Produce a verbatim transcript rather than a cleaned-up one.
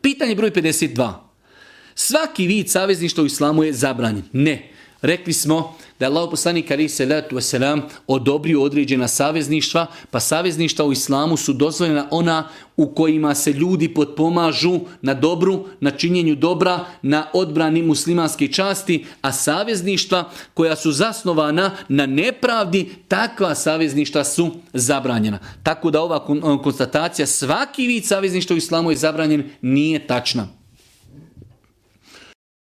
Pitanje broj pedeset dva. Svaki vid savezništva u islamu je zabranjen. Ne. Rekli smo da je Allahov poslanik alejhi selatu vesselam odobrio određena savezništva, pa savezništva u islamu su dozvoljena ona u kojima se ljudi potpomažu na dobru, na činjenju dobra, na odbrani muslimanske časti, a savezništva koja su zasnovana na nepravdi, takva savezništva su zabranjena. Tako da ova konstatacija svaki vid savezništva u islamu je zabranjen nije tačna.